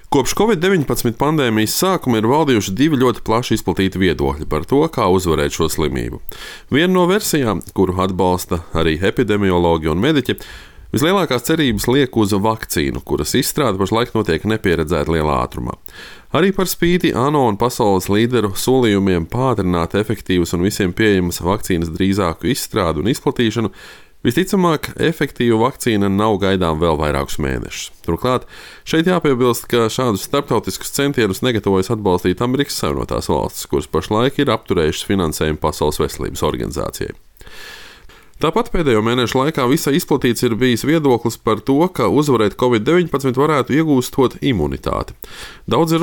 Kopš Covid-19 pandēmijas sākuma ir valdījuši divi ļoti plaši izplatīti viedokļi par to, kā uzvarēt šo slimību. Viena no versijām, kuru atbalsta arī epidemiologi un mediķi, vislielākās cerības liek uz vakcīnu, kuras izstrāde pašlaik notiek nepieredzēta lielā ātrumā. Arī par spīti ANO un pasaules līderu solījumiem pātrināt efektīvas un visiem pieejamas vakcīnas drīzāku izstrādi un izplatīšanu, visticamāk, efektīva vakcīna nav gaidām vēl vairākus mēnešus. Turklāt, šeit jāpiebilst, ka šādus starptautiskus centienus negatavojas atbalstīt Amerikas Savienotās valstis, kuras pašlaik ir apturējušas finansējumu Pasaules veselības organizācijai. Tāpat pēdējo mēnešu laikā visai izplatīts ir bijis viedoklis par to, ka uzvarēt Covid-19 varētu iegūstot imunitāti. Daudz ir